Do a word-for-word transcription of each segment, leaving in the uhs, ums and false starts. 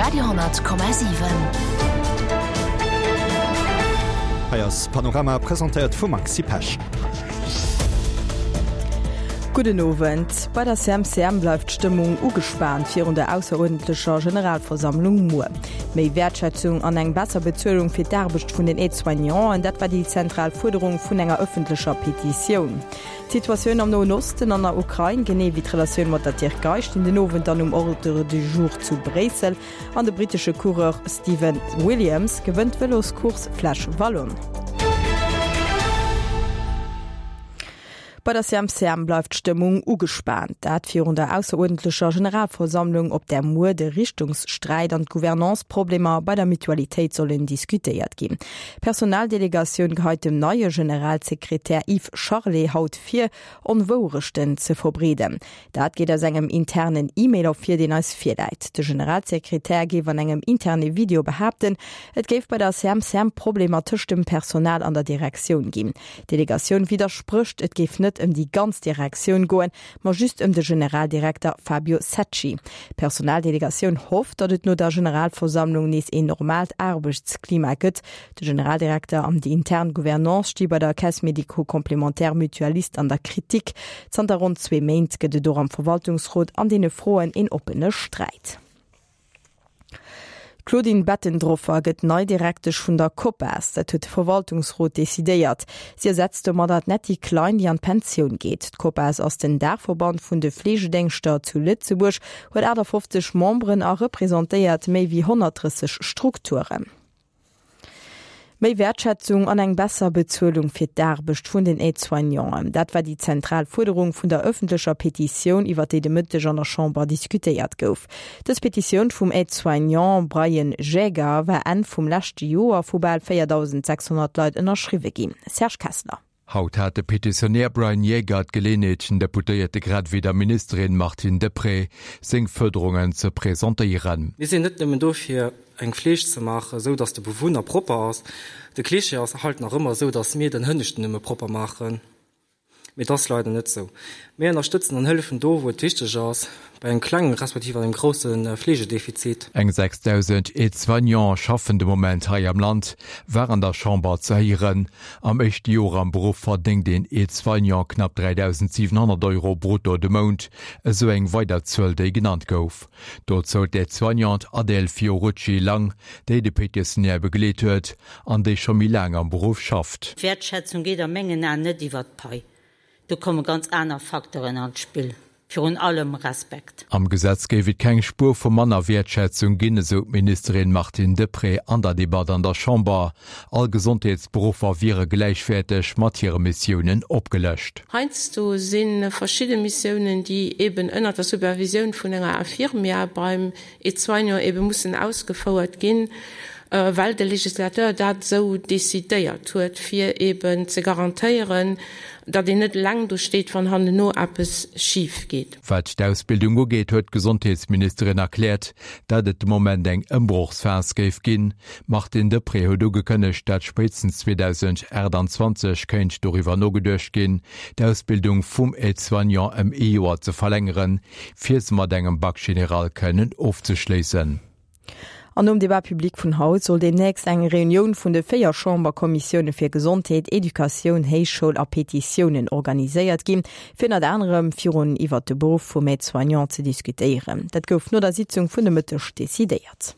Radio honnert Komma siwen. Hei ass Panorama, presentéiert vum Maxi Pesch. Gudden Owend. Bei der C M C M bleift d'Stëmmung ugespaant virun der ausseruerdentlecher Generalversammlung muer. Méi Wäertschätzung an eng besser Bezuelung fir d'Aarbecht vun den Aide-soignanten, dat war déi zentral Fuerderung vun enger ëffentlecher Petitioun. D'Situatioun am Noen Osten an der Ukrain, genee wéi d'Relatioun mat der Tierkei stinn den Owend dann um Ordre du jour zu Bréissel. An de brittesche Coureur Stephen Williams gewënnt d'Vëloscourse Flèche Wallonne. Bei der C M C M bleift d'Stëmmung ugespaant. Dat virun der ausseruerdentlecher Generalversammlung, op där muer de Richtungssträit an d'Gouvernance-Problemer bei der Mutualitéit sollen diskutéiert ginn. D'Personaldelegatioun geheit dem neie Generalsekretär Yves Charlet haut vir, Onwourechten ze verbreeden. Dat geet aus engem internen E-Mail ervir, deen eis virläit. De Generalsekretär géif an engem interne Video behaapten, et géif bei der C M C M Problemer tëscht dem Personal an der Direktioun ginn. D'Delegatioun widdersprécht, et géif net ëm déi ganz Direktioun goen, ma just ëm de Generaldirekter Fabio Secci. D'Personaldelegatioun hofft, datt et no der Generalversammlung nees een normaalt Aarbechtsklima gëtt. De Generaldirekter an déi intern Gouvernance sti bei der Caisse médico-complémentaire mutualiste an der Kritik. Zanter ronn zwee Méint gëtt et och am Verwaltungsrot an deene Froen een oppene Sträit. D'Claudine Bettendroffer gëtt nei Direktesch vun der COPAS, dat huet de Verwaltungsrot decidéiert. Si ersetzt domadder d'Netty Klein, déi an d'Pensioun geet. D'COPAS ass den Daachverband vun de Fleegedéngschter zu Lëtzebuerg, huet achtafofzeg Memberen a representéiert méi wéi honnertdrësseg Strukturen. Méi Wäertschätzung an eng besser Bezuelung fir d'Aarbecht vun den Aide-soignanten. Dat war déi zentral Fuerderung vun der ëffentlecher Petitioun, iwwer déi de Mëtteg an der Chamber diskutéiert gouf. Dës Petitioun vum Aide-soignant Brian Jäger war Enn vum leschte Joer vu bal véierdausend sechshonnert Leit ënnerschriwwe ginn. Serge Kessler. Haut hat de Petitionär Brian Jäger d'Geleeënheet, den Deputéierte grad ewéi der Ministerin Martine Deprez seng Fuerderungen ze presentéieren. Mir sinn net nëmmen do fir eng Fleeg ze maachen, sou datt de Bewunner propper ass. De Klischee ass halt nach ëmmer sou, datt mir den Hënneschten nëmme propper maachen. Mee dat ass leider net sou. Mir ënnerstëtzen an hëllefen do, wou et wichteg ass, bei engem klengen respektiv engem grousse Fleegedefizit. Eng sechsdausend Aide-soignante schaffen de Moment hei am Land, war an der Chamber ze héieren. Am éischte Joer am Beruff verdéngt een Aide-soignant knapp dräidausendsiwenhonnert Euro brutto de Mount, esou eng weider Zuel, déi genannt gouf. Dozou d'Aide-soignante Adèle Fiorucci-Lang, déi de Petitionär begleet huet an déi scho méi laang am Beruff schafft. D'Wäertschätzung geet a mengen Aen net iwwer d'Pai. Do komme ganz aner Facteuren an d'Spill, virun allem Respekt. Am Gesetz géif et keng Spuer vu manner Wäertschätzung ginn, esou d'Ministerin Martine Deprez an der Debatt an der Chamber. All Gesondheetsberuffer wiere gläichwäerteg mat hire Missiounen opgelëscht. Heiansdo si verschidde Missiounen, déi eben ënner der Supervisioun vun enger Infirmière beim Aide-soignant ebe mussen ausgefouert ginn, well de Legislateur dat esou decidéiert huet, fir eben ze garantéieren, datt een net eleng do steet, wann hanneno eppes schif geet. Wat d'Ausbildung ugeet, huet d'Gesondheetsministerin erkläert, datt et de Moment eng Ëmbrochsphas géif ginn. D'Martine Deprez huet ugekënnegt, datt spéitstens zweedausendachtanzwanzeg kéint doriwwer nogeduecht ginn, d'Ausbildung vum Aide-soignant ëm ee Joer ze verlängeren, fir se mat engem Bac général kënnen ofzeschléissen. An nom Débat public vun haut soll deemnächst eng Reunioun vun de véier Chamberkommissioune fir Gesondheet, Educatioun, Héichschoul a Petitiounen organiséiert ginn, fir ënnert anerem virun iwwer de Beruff vum Aide-soignant ze diskutéieren. Dat gouf no der Sitzung vun de Mëtteg decidéiert.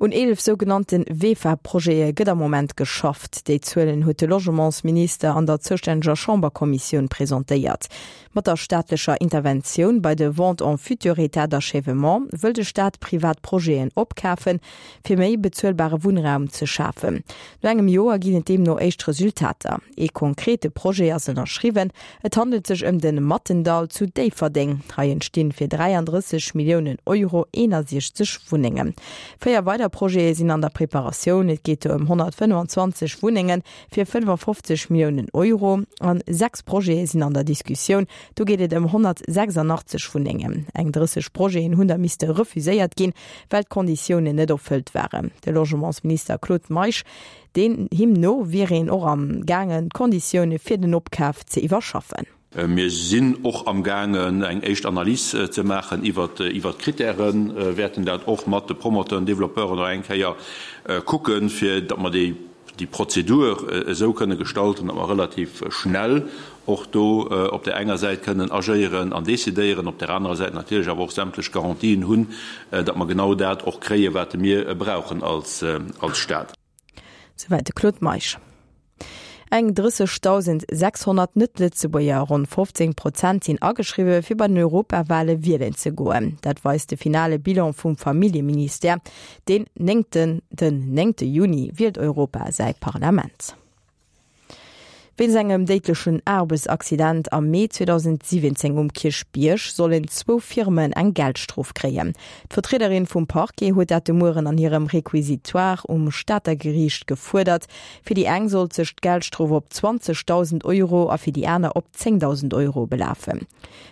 Un eelef sougenannte VEFA-Projete gëtt am Moment geschafft. Déi Zuelen huet de Logementsminister an der zoustänneger Chamberkommissioun presentéiert. Mat der staatlecher Interventioun bei de Ventes en futur état d'achèvement wëll de Staat privat Projeten opkafen, fir méi bezuelbare Wunnraum ze schafen. No engem Joer ginn et deemno éischt Resultater. Ee konkrete Projet ass ënnerschriwwen. Et handelt sech ëm de Mattendall zu Déifferdeng. Hei entstinn fir dräiandrësseg Milliounen Euro eenasiechzeg Wunnengen. Véier weider Projete sinn an der Preparatioun. Et geet do ëm honnertfënnfanzwanzeg Wunnenge fir fënnefafofzeg Milliounen Euro an sechs Projete sinn an der Diskussioun. Do geet et ëm honnertsechsandachtzeg Wunnengen. Eng drësseg Projeten hunn da misste refuséiert ginn, well d'Konditiounen net erfëllt waren. De Logementsminister Claude Meisch, deen him no wier een och am gaangen, d'Konditioune fir den Opkaf ze iwwerschaffen. Mir sinn och amgaangen, eng éischt Analys ze maachen iwwert d'Krittären, wäerten dat och mat de Promoteuren, Developpeuren nach eng Kéier kucken, fir datt mer déi Prozedur esou kënne gestalten, datt mer relativ schnell och do op där enger Säit kënnen agéieren an decidéieren, op där anerer Säit natierlech awer och sämtlech Garantien hunn, datt mer genau dat och kréien, wat mir brauchen als Stat. Souwäit de Claude Meisch. Eng drëssegdausend sechshonnert Net-Lëtzebuerger, ronn fofzéng Prozent, sinn ageschriwwe fir bei den Europawale wielen ze goen. Dat weist de finale Bilan vum Familljeministère. Den néngten den néngte Juni wielt Europa säi Parlament. Wéinst engem déidlechen Aarbechtsaccident am Mee zweedausendsiwwenzéng um Kierchbierg sollen zwou Firmen eng Geldstrof kréien. D'Vertriederin vum Parquet huet dat de Mueren an hirem Requisitoire um Stater Geriicht gefuerdert. Fir déi eng sollt sech d'Geldstrof op zwanzegdausend Euro a fir déi aner op zéngdausend Euro belafen.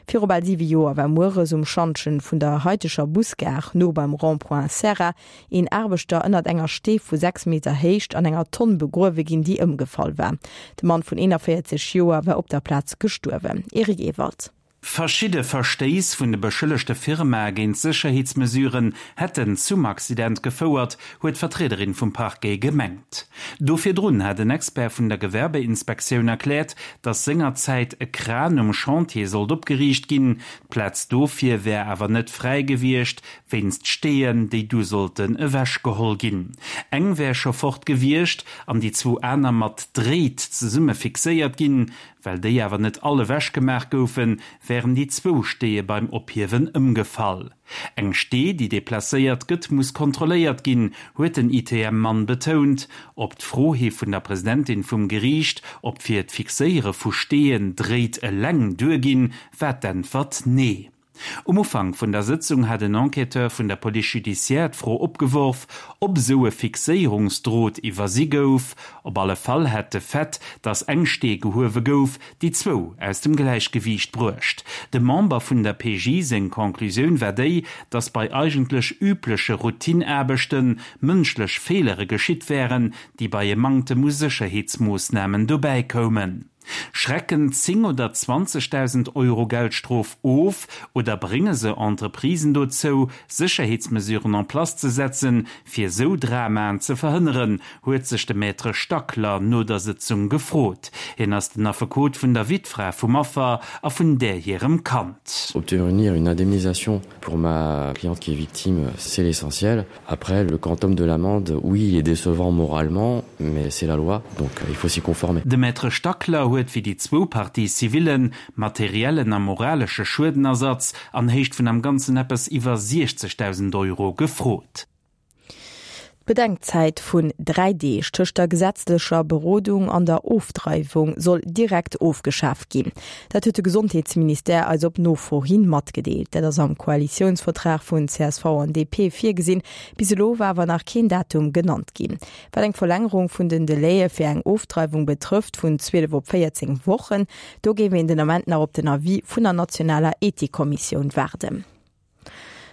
Viru bal siwe Joer war mueres um Schantjen vun der haiteger Busgare, no beim Rond-point Serra, een Aarbechter ënnert enger Stee vu sechs Meter Héicht an enger Tonn begruewe ginn, déi ëmgefall war. De Mann vun eenanvéierzeg Joer war op der Plaz gestuerwen. Eric Ewald. Verschidde Verstéiss vun de beschëllegte Firmae géint Sécherheetsmesuren hätten zum Accident gefouert, huet d'Vertriederin vum Parquet gemengt. Do virdrun hat en Expert vun der Gewerbeinspektioun erkläert, datt sengerzäit e Kran um Chantier sollt opgeriicht ginn. D'Plaz dofir wär awer net fräi gewiescht, wéinst Steeën, déi du sollten ewechgeholl ginn. Eng wär scho fort gewiescht an déi zwou aner mat Dréit zesumme fixéiert ginn. Well déi awer net all ewech gemaach goufen, wären déi zwou Steeë beim Ophiewen ëmgefall. Eng Stee, déi deplacéiert gëtt, muss kontrolléiert ginn, huet den I T M-Mann betount. Op d'Fro hi vun der Presidentin vum Geriicht, ob fir d'Fixéiere vu Steeën Dréit eleng duerginn, war d'Äntwert Nee. Um Ufank vun der Sëtzung hat en Enquêteur vun der Police judiciaire d'Fro opgeworf, ob esou e Fixéierungsdrot iwwersi gouf. Op alle Fall hätt de Fait, datt eng Stee gehuewe gouf, déi zwou aus dem Gläichgewiicht bruecht. Dem Member vun der P J seng Conclusioun war déi, datt bei eigentlech übleche Routineaarbechte mënschlech Feelere geschitt wären, déi bei e Manktem u Sécherheetsmoossnamen dobäi koumen. Schrecken zéng oder zwanzegdausend Euro Geldstrof of oder brénge se Entreprisen dozou, Sécherheetsmesuren en place ze setzen, fir sou Dramaen ze verhënneren, huet sech de Maître Stackler no der Sëtzung gefrot. Hien ass den Affekot vun der Wittfra vum Affer a vun där hirem Kand. Obtenir une indemnisation pour ma cliente qui est victime, c'est l'essentiel. Après, le quantum de l'amende, oui, il est décevant moralement, mais c'est la loi, donc il faut s'y conformer. De Maître Stackler huet fir déi zwou Parties civillen materiellen a moralesche Schuedenersatz an Héicht vun am Ganzen eppes iwwer siechzegdausend Euro gefrot. D'Bedenkzäit vun dräi Deeg tëscht der gesetzlecher Berodung an der Ofdreiwung soll direkt ofgeschaaft ginn. Dat huet de Gesondheetsministère eis op Nofro hin matgedeelt. Dat ass am Koalitiounsvertrag vun C S V an D P virgesinn. Bis elo war awer nach keen Datum genannt ginn. Wat eng Verlängerung vun den Delaie fir eng Ofdreiwung betrëfft vun zwielef op véierzéng Wochen, do géif een den Ament nach op den Avis vun der nationaler Ethikkommissioun waarden.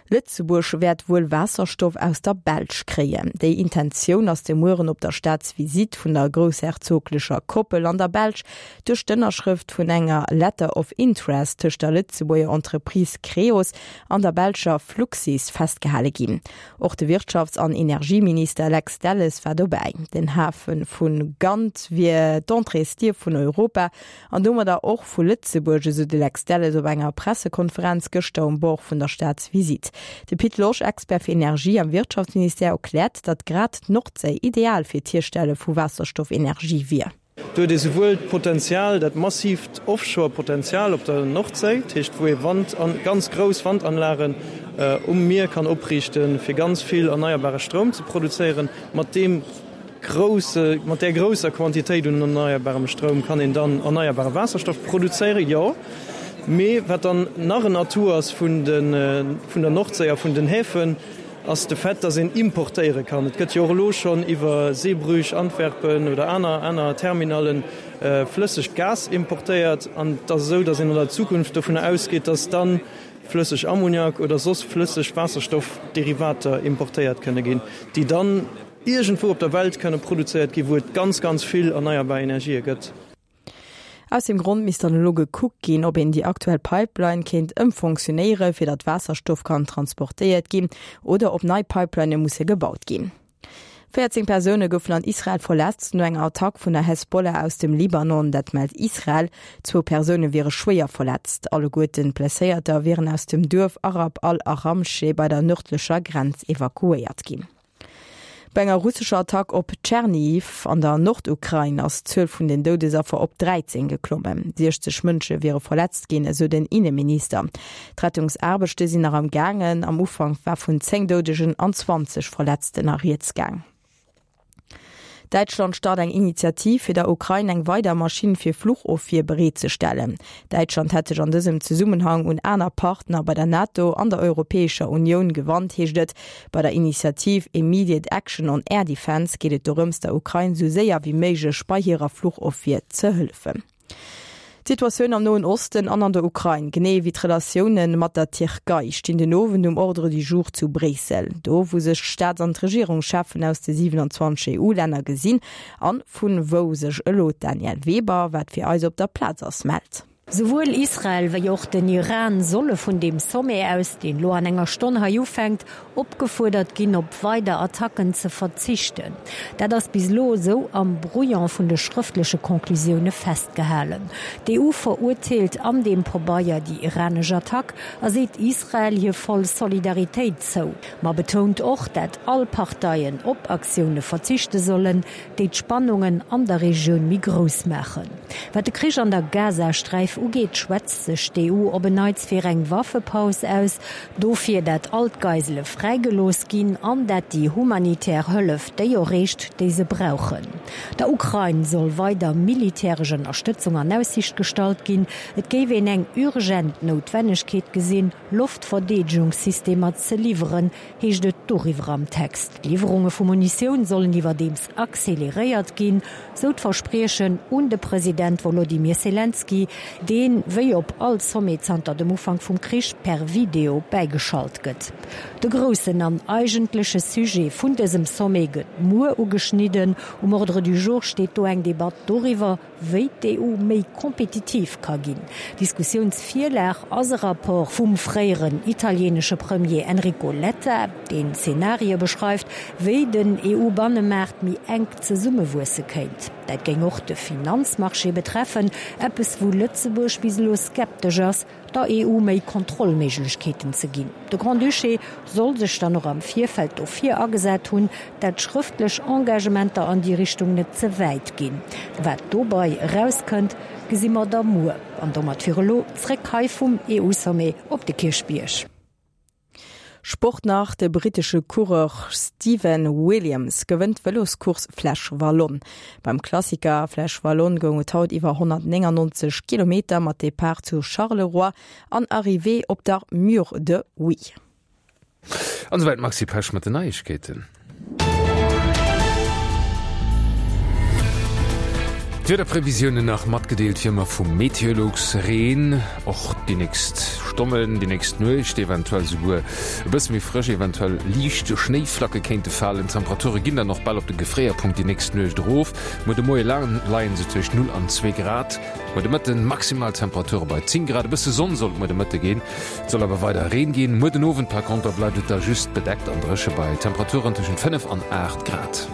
Lëtzebuerg wäert wuel Waasserstoff aus der Belsch kréien. Déi Intentioun ass de Mueren op der Staatsvisitt vun der groussherzoglecher Koppel an der Belsch duerch d'Ënnerschrëft vun enger Letter of Interest tëscht der Lëtzebuerger Entreprise Creos an der belscher Fluxys festgehale ginn. Och de Wirtschafts an Energieminister Lex Delles war dobäi. Den Hafe vu Gand wier d'Entréesdier vun Europa an domadder och vu Lëtzebuerg, esou de Lex Delles op enger Pressekonferenz gëschter um Bord vun der Staatsvisitt. De Pit Losch, Expert fir Energie am Wirtschaftsministère, erkläert, datt grad d'Nordséi ideal fir d'Hierstelle vu Waasserstoffenergie wier. Do huet ee souwuel d'Potenzial, dat massiivt Offshore-Potenzial op der Nordséi, dat heescht wou ee Wand an ganz grouss Wandanlagen um Mier kann opriichten, fir ganz vill erneierbare Stroum ze produzéieren. Mat deem grousse, mat där grousser Quantitéit un erneierbarem Stroum kann een dann erneierbare Waasserstoff produzéieren, jo. Mee wat dann nach en Atout ass vun de, vun der Nordséi a vun den Häfen, ass de Fait, dass een importéiere kann. Et gëtt jo och elo schonn iwwer Zeebrugge, Antwerpen oder aner, aner Terminallen flëssegt Gas importéiert. An et ass esou, dass een an der Zukunft dovunner ausgeet, dass dann flësseg Ammoniak oder soss flësseg Waasserstoffderivater importéiert kënne ginn, déi dann iergendwou op der Welt kënne produzéiert ginn, wou et ganz, ganz vill erneierbar Energië gëtt. Aus deem Grond misst dann elo gekuckt ginn, ob een déi aktuell Pipeline kéint ëmfonctionéiere fir datt Waasserstoff kann transportéiert ginn oder ob nei Pipelinë musse gebaut ginn. Véierzéng Persoune goufen an Israel verletzt no enger Attack vun der Hezbollah aus dem Libanon, dat mellt Israel. Zwou Persoune wiere schwéier verletzt. Alleguerten d'Blesséierter wieren aus dem Duerf Arab al-Aramsche bei der nërdlecher Grenz evakuéiert ginn. Bei enger russescher Attack op Tschernihiw an der Nordukrain ass d'Zuel vun den Doudesaffer op dräizéng geklommen. Siechzeg Mënsche wiere verletzt ginn, esou den Inneminister. D'Rettungsaarbechte sinn nach am gaangen. Am Ufank war vun zéng Doudegen an zwanzeg Verletzten a rieds gaang. Däitschland start eng Initiativ, fir der Ukrain eng weider Maschinn fir Fluchofwier bereetzestellen. Däitschland hätt sech an dësem Zesummenhang un aner Partner bei der NATO an der Europäescher Unioun gewannt, heescht et. Bei der Initiativ Immediate Action on Air Defence geet et dorëms, der Ukrain sou séier wéi méiglech bei hirer Fluchofwier ze hëllefen. D'Situatioun am Noen Osten an an der Ukrain, genee wéi d'Relatioune mat der Tierkei stinn den Owend um Ordre du jour zu Bréissel, do wou sech d'Staats an d'Regierungscheffen aus de siwenanzwanzeg E U-Länner gesinn an vun wou sech elo d'Danièle Weber, wat fir eis op der Plaz ass, mellt. Souwuel Israel wéi och den Iran solle vun deem Sommet aus, deen lo an enger Stonn hei ufänkt, opgefuerdert ginn, op weider Attacken ze verzichten. Dat ass bis elo esou am Brouillon vun de schrëftleche Conclusioune festgehalen. D'E U verurteelt an deem Pabeier déi iranesch Attack a seet Israel hir voll Solidaritéit zou, ma betount och, dat all Parteien op Aktioune verzichte sollen, déi d'Spannungen an der Regioun méi grouss maachen. Wat de Krich an der Gazasträif ugeet, schwätzt sech d'E U op en Neits fir eng Waffepaus aus, dofir dat all d'Geisele fräigelooss ginn an dat déi humanitär Hëllef déi erreecht, déi se brauchen. Der Ukrain soll weider militäresch Ënnerstëtzung an Aussiicht gestallt ginn. Et géif een eng urgent Noutwennegkeet gesinn, Loftverdeedegungssystemer ze liwweren, heescht et doriwwer am Text. D'Liwwerunge vu Munitioun sollen iwwerdeems acceleréiert ginn, sou d'Verspriechen un de President Wolodymyr Selenskyj, deen, wéi op all Sommet zanter dem Ufank vum Krich, per Video bäigeschalt gëtt. De groussen an eigentleche Sujet vun dësem Sommet gëtt muer ugeschnidden. Um Ordre du jour steet do eng Debatt doriwwer, wéi d'E U méi kompetitiv ka ginn. Diskussiounsvirlag ass e Rapport vum fréieren italieenesche Premier Enrico Letta, deen Zenarie beschreift, wéi den E U-Bannemaart méi enk zesummewuesse kéint. Dat géing och de Finanzmarché betreffen, eppes wou Lëtzebuerg bis elo skeptesch ass, der E U méi Kontrollméiglechkeeten ze ginn. De Grand-Duché soll sech dann och am Virfeld dofir agesat hunn, dat schrëftlech Engagementer an déi Richtung net ze wäit ginn. Wat dobei erauskënnt, gesi mer da muer. An domat fir elo zréck hei vum E U-Sommet op de Kierchbierg. Sport nach, De brittesche Coureur Stephen Williams gewënnt d'Vëloscourse Flèche Wallonne. Beim Klassiker Flèche Wallonne goung et haut iwwer honnertnéngannonzeg Kilometer mat Depart zu Charleroi an Arrivée op der Mur de Huy. An esouwäit d'Maxi Pesch mat den Neiegkeeten. D'Wiederprevisiounen nach matgedeelt wéi ëmmer vum Meteolux, Reen och déi nächst Stonnen, déi nächst Nuecht, eventuell souguer e bësse méi frësch, eventuell liicht Schnéiflacke kéinte falen. D'Temperature ginn dann och bal op de Gefréierpunkt déi nächst Nuecht erof. Muer de Moie leie se tëscht null an zwee Grad. Muer de Mëtten maximal Temperature bei zéng Grad. E bësse Sonn soll et muer de Mëtte ginn, et soll awer weider Reen ginn. Muer den Owend par konter bleift et da just bedeckt an dréche bei Temperaturen tëschent fënnef an aacht Grad.